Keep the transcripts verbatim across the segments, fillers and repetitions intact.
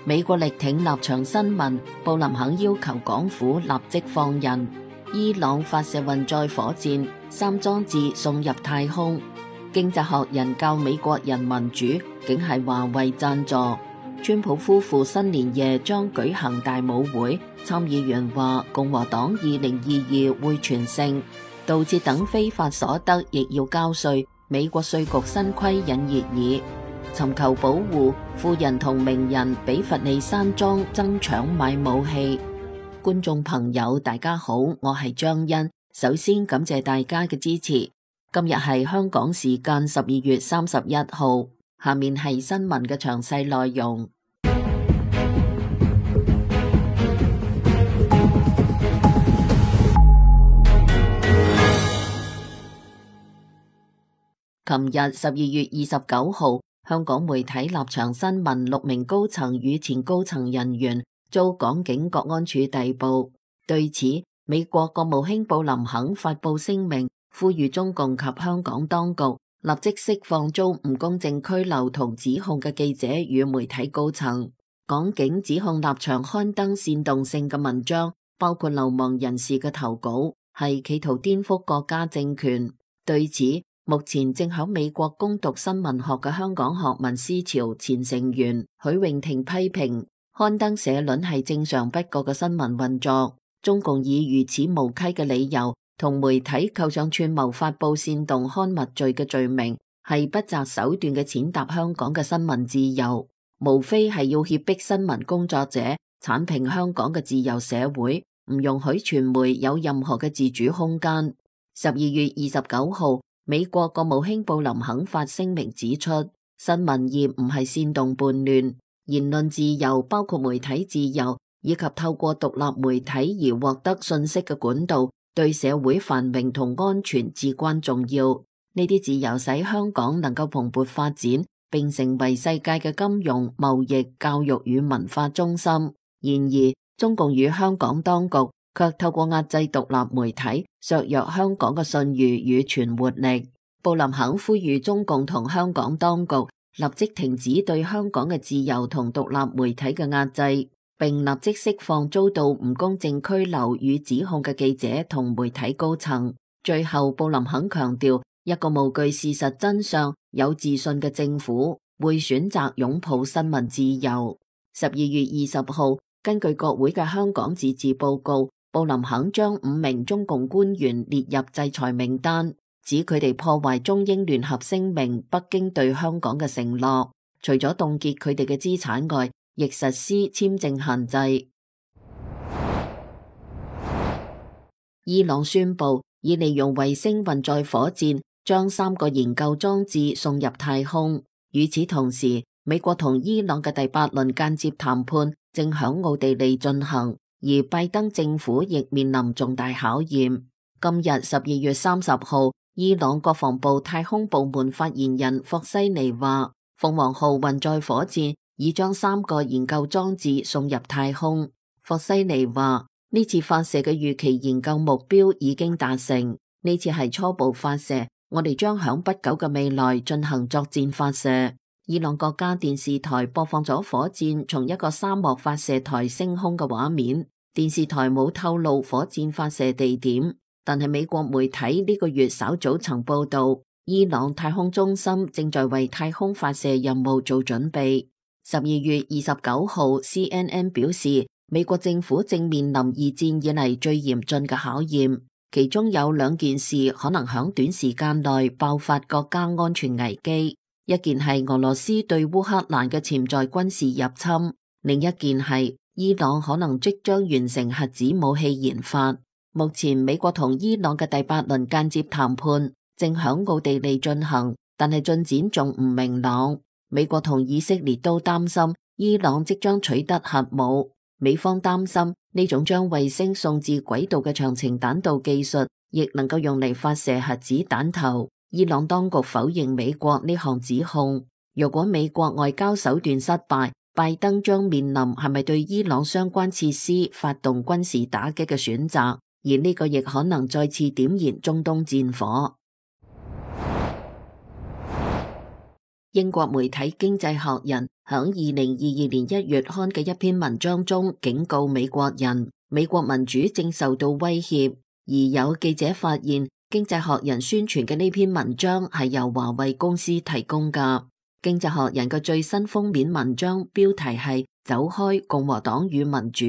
美國力挺立場新聞，布林肯要求港府立即放人。伊朗發射運載火箭，三裝置送入太空。經濟學人教美國人民主，竟係華為贊助。川普夫婦新年夜將舉行大舞會，參議員話共和黨二零二二會全勝。盜竊等非法所得亦要交稅，美國稅局新規引熱議。尋求保護，富人同名人比佛利山莊爭搶買武器。觀眾朋友大家好，我係張欣，首先感謝大家嘅支持。今日係香港時間十二月三十一號，下面係新聞嘅詳細內容。琴日十二月二十九號，香港媒體立場新聞六名高層與前高層人員遭港警國安處逮捕。對此，美國國務卿布林肯發布聲明，呼籲中共及香港當局立即釋放遭唔公正拘留同指控嘅記者與媒體高層。港警指控立場刊登煽動性嘅文章，包括流亡人士嘅投稿，係企圖顛覆國家政權。對此，目前正喺美國攻讀新聞學嘅香港學民思潮前成員許穎婷批評，刊登社論係正常不過嘅新聞運作。中共以如此無稽嘅理由同媒體扣上串謀發佈煽動刊物罪嘅罪名，係不擇手段嘅踐踏香港嘅新聞自由，無非係要脅迫新聞工作者，鏟平香港嘅自由社會，唔容許傳媒有任何嘅自主空間。十二月二十九號，美國國務卿布林肯發聲明指出，新聞業唔係煽動叛亂，言論自由包括媒體自由以及透過獨立媒體而獲得信息嘅管道，對社會繁榮同安全至關重要。呢啲自由使香港能夠蓬勃發展，並成為世界嘅金融、貿易、教育與文化中心。然而，中共與香港當局卻透過壓制獨立媒體，削弱香港嘅信譽與存活力。布林肯呼籲中共同香港當局立即停止對香港嘅自由同獨立媒體嘅壓制，並立即釋放遭到唔公正拘留與指控嘅記者同媒體高層。最後，布林肯強調，一個無懼事實真相、有自信嘅政府會選擇擁抱新聞自由。十二月二十號，根據國會嘅香港自治報告，布林肯將五名中共官員列入制裁名單，指佢哋破壞中英聯合聲明北京對香港嘅承諾，除咗凍結佢哋嘅資產外，亦實施簽證限制。伊朗宣布已利用衛星運載火箭將三個研究裝置送入太空。與此同時，美國同伊朗嘅第八輪間接談判正響奧地利進行，而拜登政府亦面臨重大考驗。今日十二月三十號，伊朗國防部太空部門發言人霍西尼話，鳳凰號運載火箭已將三個研究裝置送入太空。霍西尼話，呢次發射嘅預期研究目標已經達成，呢次係初步發射，我哋將響不久嘅未來進行作戰發射。伊朗國家電視台播放咗火箭從一個沙漠發射台升空嘅畫面。電視台冇透露火箭發射地點，但係美國媒體呢個月稍早曾報道，伊朗太空中心正在為太空發射任務做準備。十二月二十九號 C N N 表示，美國政府正面臨二戰以嚟最嚴峻嘅考驗，其中有兩件事可能響短時間內爆發國家安全危機，一件係俄羅斯對烏克蘭嘅潛在軍事入侵，另一件係伊朗可能即將完成核子武器研發。目前美國同伊朗嘅第八輪間接談判正響奧地利進行，但係進展仲唔明朗。美國同以色列都擔心伊朗即將取得核武，美方擔心呢種將衛星送至軌道嘅長程彈道技術亦能夠用嚟發射核子彈頭。伊朗當局否認美國呢項指控。如果美國外交手段失敗，拜登將面臨係咪對伊朗相關設施發動軍事打擊嘅選擇，而呢個亦可能再次點燃中東戰火。英國媒體《經濟學人》響二零二二年一月刊嘅一篇文章中警告美國人，美國民主正受到威脅。而有記者發現，《經濟學人》宣傳嘅呢篇文章係由華為公司提供㗎。《經濟學人》嘅最新封面文章標題係走開共和黨與民主，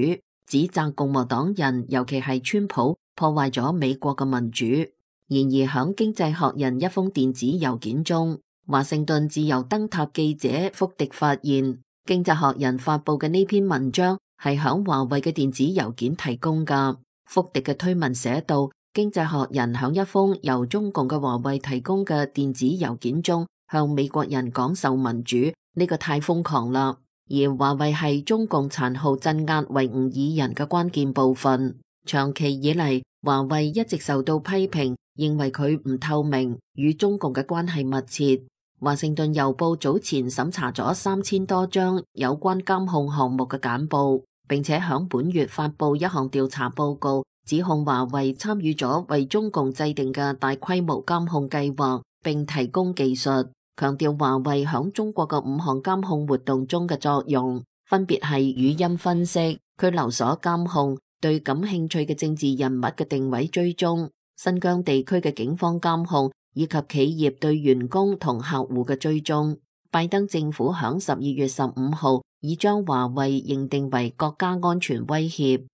指責共和黨人，尤其係川普破壞咗美國嘅民主。然而響《經濟學人》一封電子郵件中，華盛頓自由燈塔記者福迪發現，《經濟學人》發佈嘅呢篇文章係響華為嘅電子郵件提供㗎。福迪嘅推文寫道，《經濟學人》響一封由中共嘅華為提供嘅電子郵件中向美國人講授民主，呢個太瘋狂啦。而華為係中共殘酷鎮壓維吾爾人嘅關鍵部分，長期以嚟，華為一直受到批評，認為佢唔透明，與中共嘅關係密切。華盛頓郵報早前審查咗三千多張有關監控項目嘅簡報，並且響本月發佈一項調查報告，指控華為參與咗為中共制定嘅大規模監控計劃，並提供技術，強調華為響中國嘅五項監控活動中嘅作用，分別係語音分析、拘留所監控、對感興趣嘅政治人物嘅定位追蹤、新疆地區嘅警方監控，以及企業對員工同客戶嘅追蹤。拜登政府響十二月十五號已將華為認定為國家安全威脅。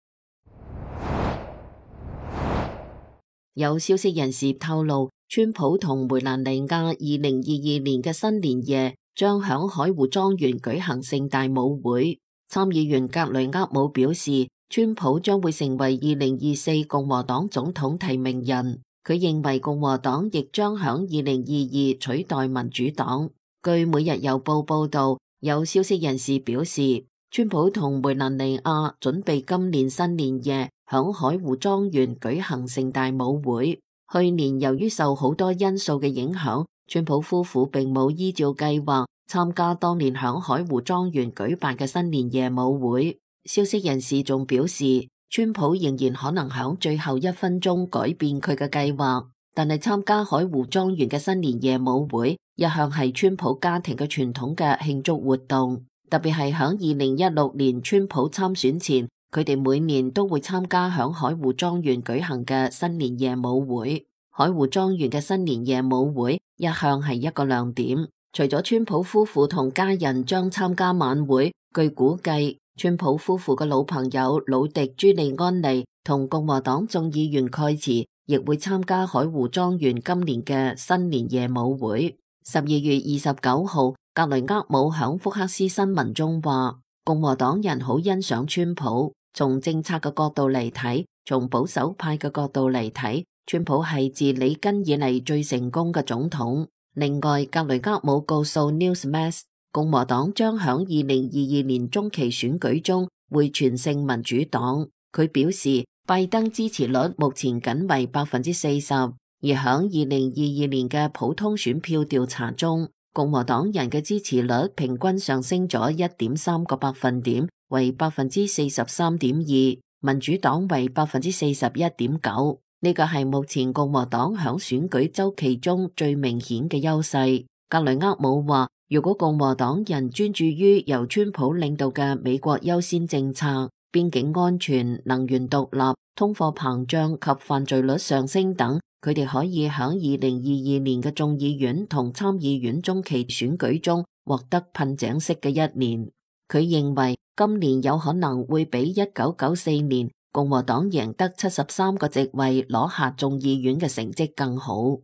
有消息人士透露，川普同梅蘭妮亞二零二二年嘅新年夜將響海湖莊園舉行盛大舞會。參議員格雷厄姆表示，川普將會成為二零二四共和黨總統提名人。佢認為共和黨亦將響二零二二取代民主黨。據每日郵報報道，有消息人士表示，川普同梅蘭妮亞準備今年新年夜響海湖莊園舉行盛大舞會。去年由於受好多因素嘅影響，川普夫婦並冇依照計劃參加當年響海湖莊園舉辦嘅新年夜舞會。消息人士仲表示，川普仍然可能響最後一分鐘改變佢嘅計劃，但係參加海湖莊園嘅新年夜舞會一向係川普家庭嘅傳統嘅慶祝活動，特別係響二零一六年川普參選前，佢哋每年都會參加響海湖莊園舉行嘅新年夜舞會。海湖莊園嘅新年夜舞會一向係一個亮點，除咗川普夫婦同家人將參加晚會，據估計川普夫婦嘅老朋友魯迪朱利安尼同共和黨眾議員蓋茨亦會參加海湖莊園今年嘅新年夜舞會。十二月二十九號，格雷厄姆響福克斯新聞中話，共和黨人好欣賞川普，從政策嘅角度嚟睇，從保守派嘅角度嚟睇，川普係自里根以嚟最成功嘅總統。另外，格雷厄姆告訴 Newsmax，共和黨將響二零二二年中期選舉中會全勝民主黨。佢表示，拜登支持率目前僅為百分之四十，而響二零二二年嘅普通選票調查中，共和黨人嘅支持率平均上升咗一點三個百分點，為百分之四十三點二，民主黨為百分之四十一點九。呢個係目前共和黨響選舉週期中最明顯嘅優勢。格雷厄姆話，如果共和黨人專注於由川普領導嘅美國優先政策，邊境安全、能源獨立、通貨膨脹及犯罪率上升等，佢哋可以喺二零二二年嘅眾議院同參議院中期選舉中獲得噴井式嘅一年。佢認為今年有可能會比一九九四年共和黨贏得七十三個席位攞下眾議院嘅成績更好。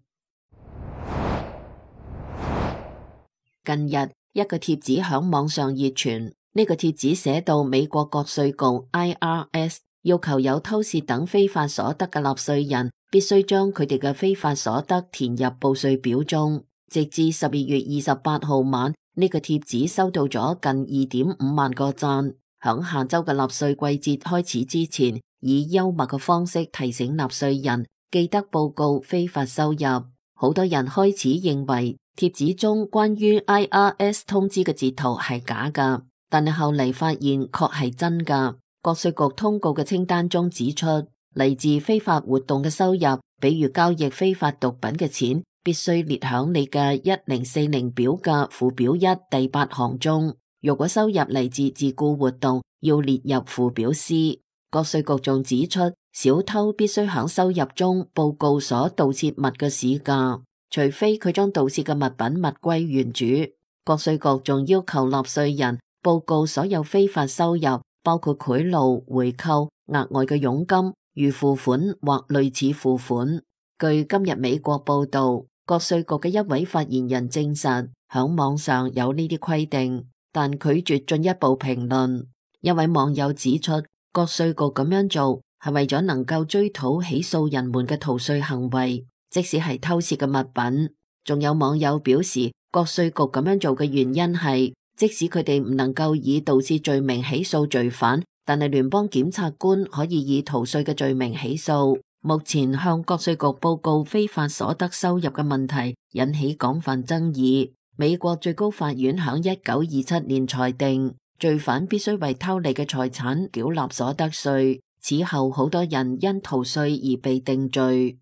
近日一個貼紙響網上熱傳，呢個貼紙寫到美國國稅局 I R S 要求有偷竊等非法所得嘅納稅人必須將佢哋嘅非法所得填入報稅表中。直至十二月二十八號晚，呢個貼紙收到咗近二點五萬個讚。響下周嘅納稅季節開始之前，以幽默嘅方式提醒納稅人記得報告非法收入。好多人開始認為貼紙中關於 I R S 通知嘅截圖係假噶，但係後嚟發現確係真噶。國稅局通告嘅清單中指出，嚟自非法活動嘅收入，比如交易非法毒品嘅錢，必須列響你嘅一零四零表嘅附表一第八項中。如果收入嚟自自雇活動，要列入附表 C。國稅局仲指出，小偷必須響收入中報告所盜竊物嘅市價，除非佢將盜竊嘅物品物歸原主。國稅局仲要求納稅人報告所有非法收入，包括賄賂、回扣、額外嘅佣金、預付款或類似付款。據今日美國報道，國稅局嘅一位發言人證實，響網上有呢啲規定，但拒絕進一步評論。一位網友指出，國稅局咁樣做係為咗能夠追討起訴人們嘅逃稅行為，即使係偷竊嘅物品。仲有網友表示，國稅局咁樣做嘅原因係，即使佢哋唔能夠以盜竊罪名起訴罪犯，但係聯邦檢察官可以以逃稅嘅罪名起訴。目前向國稅局報告非法所得收入嘅問題引起廣泛爭議。美國最高法院響一九二七年裁定，罪犯必須為偷嚟嘅財產繳納所得稅。此後好多人因逃稅而被定罪。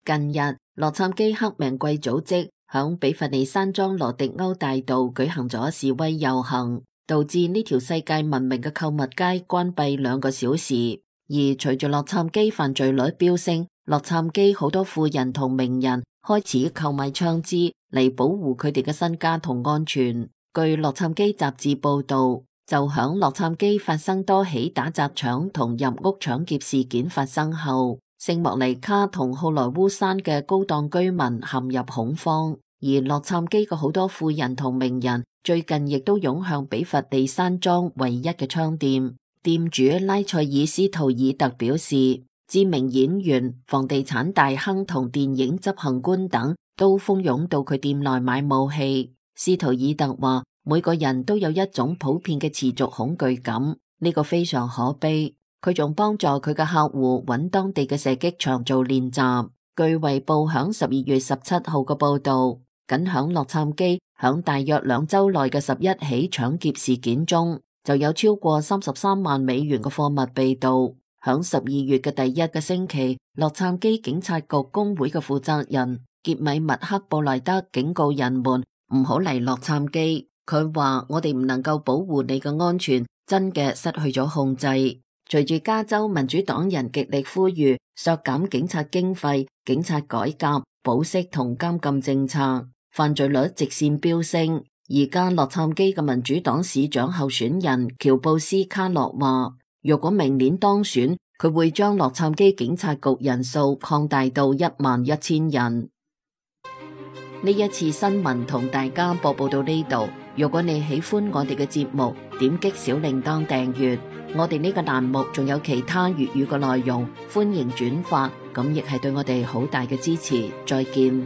近日，洛杉磯黑命貴組織響比佛利山莊羅迪歐大道舉行咗示威遊行，導致呢條世界聞名嘅購物街關閉兩個小時。而隨住洛杉磯犯罪率飆升，洛杉磯好多富人同名人開始購買槍支嚟保護佢哋嘅身家同安全。據洛杉磯雜誌報道，就響洛杉磯發生多起打砸搶同入屋搶劫事件發生後，聖莫尼卡同好萊塢山嘅高檔居民陷入恐慌，而洛杉磯嘅好多富人同名人最近亦都湧向比佛利山莊唯一嘅槍店。店主拉塞爾斯圖爾特表示，知名演員、房地產大亨同電影執行官等都蜂擁到佢店內買武器。斯圖爾特話，每個人都有一種普遍嘅持續恐懼感，呢個非常可悲。佢仲幫助佢嘅客戶揾當地嘅射擊場做練習。據衛報響十二月十七號嘅報道，僅響洛杉磯響大約兩周內嘅十一起搶劫事件中，就有超過三十三萬美元嘅貨物被盜。響十二月嘅第一個星期，洛杉磯警察局工會嘅負責人傑米麥克布萊德警告人們唔好嚟洛杉磯。佢話，我哋唔能夠保護你嘅安全，真嘅失去咗控制。隨住加州民主黨人極力呼籲削減警察經費、警察改革、保釋同監禁政策，犯罪率直線飆升。而家洛杉磯嘅民主黨市長候選人喬布斯卡洛話，如果明年當選，佢會將洛杉磯警察局人數擴大到一萬一千人。呢一次新聞同大家播報到呢度。如果你喜歡我哋嘅節目，點擊小鈴鐺訂閱。我哋呢個欄目仲有其他粵語嘅內容，歡迎轉發，咁亦係對我哋好大嘅支持。再見。